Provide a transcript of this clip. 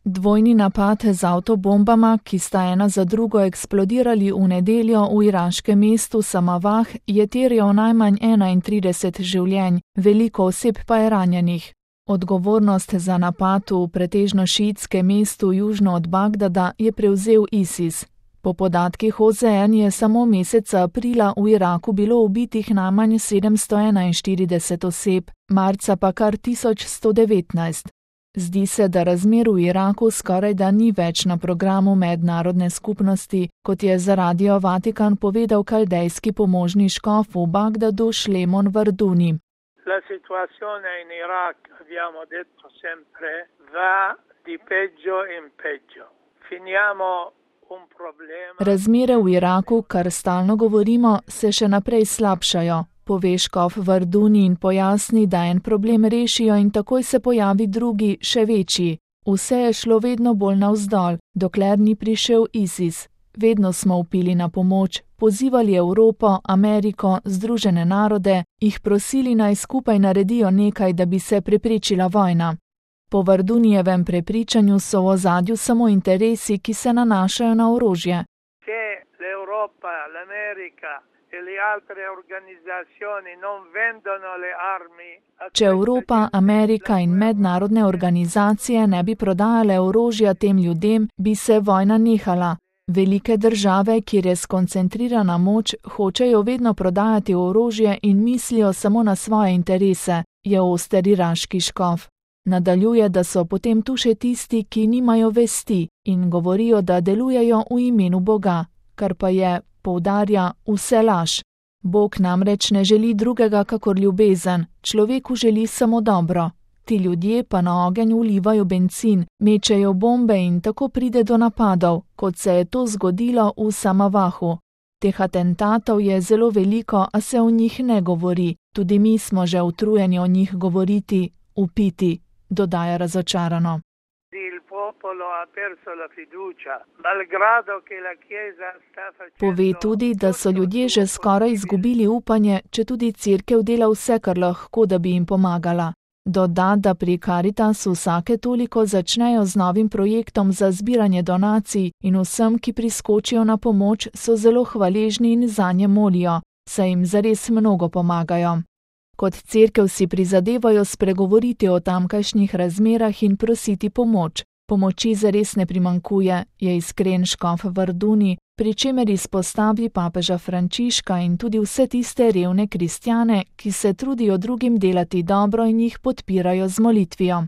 Dvojni napad z avtobombama, ki sta ena za drugo eksplodirali v nedeljo v iraškem mestu Samavah, je terjal najmanj 31 življenj, veliko oseb pa je ranjenih. Odgovornost za napad v pretežno šiitskem mestu južno od Bagdada je prevzel ISIS. Po podatkih OZN je samo meseca aprila v Iraku bilo ubitih najmanj 741 oseb, marca pa kar 1119. Zdi se, da razmer v Iraku skorajda ni več na programu mednarodne skupnosti, kot je za Radio Vatikan povedal kaldejski pomožni škof v Bagdadu Šlemon Varduni. La situazione in Iraq, abbiamo detto sempre, va di peggio in peggio. Finiamo un problema. Razmere v Iraku, kar stalno govorimo, se še naprej slabšajo, pove škof Varduni in pojasni, da en problem rešijo in takoj se pojavi drugi, še večji. Vse je šlo vedno bolj navzdol, dokler ni prišel ISIS. Vedno smo vpili na pomoč, pozivali Evropo, Ameriko, Združene narode, jih prosili naj skupaj naredijo nekaj, da bi se preprečila vojna. Po Vardunijevem prepričanju so v ozadju samo interesi, ki se nanašajo na orožje. Če Evropa, Amerika in mednarodne organizacije ne bi prodajale orožja tem ljudem, bi se vojna nehala. Velike države, kjer je skoncentrirana moč, hočejo vedno prodajati orožje in mislijo samo na svoje interese, je oster iraški škof. Nadaljuje, da so potem tu še tisti, ki nimajo vesti in govorijo, da delujejo v imenu Boga, kar pa je, poudarja, vse laž. Bog namreč ne želi drugega kakor ljubezen, človeku želi samo dobro. Ti ljudje pa na ogenj vlivajo bencin, mečejo bombe in tako pride do napadov, kot se je to zgodilo v Samavahu. Teh atentatov je zelo veliko, a se o njih ne govori. Tudi mi smo že utrujeni o njih govoriti, upiti, dodaja razočarano. Pove tudi, da so ljudje že skoraj izgubili upanje, če tudi cerkev dela vse, kar lahko, da bi jim pomagala. Doda, da pri Caritasu vsake toliko začnejo z novim projektom za zbiranje donacij in vsem, ki priskočijo na pomoč, so zelo hvaležni in zanje molijo, saj jim zares mnogo pomagajo. Kot cerkev si prizadevajo spregovoriti o tamkajšnjih razmerah in prositi pomoč. Pomoči zares ne primanjkuje, je iskren škof Varduni, pri čemer izpostavi papeža Frančiška in tudi vse tiste revne kristjane, ki se trudijo drugim delati dobro in jih podpirajo z molitvijo.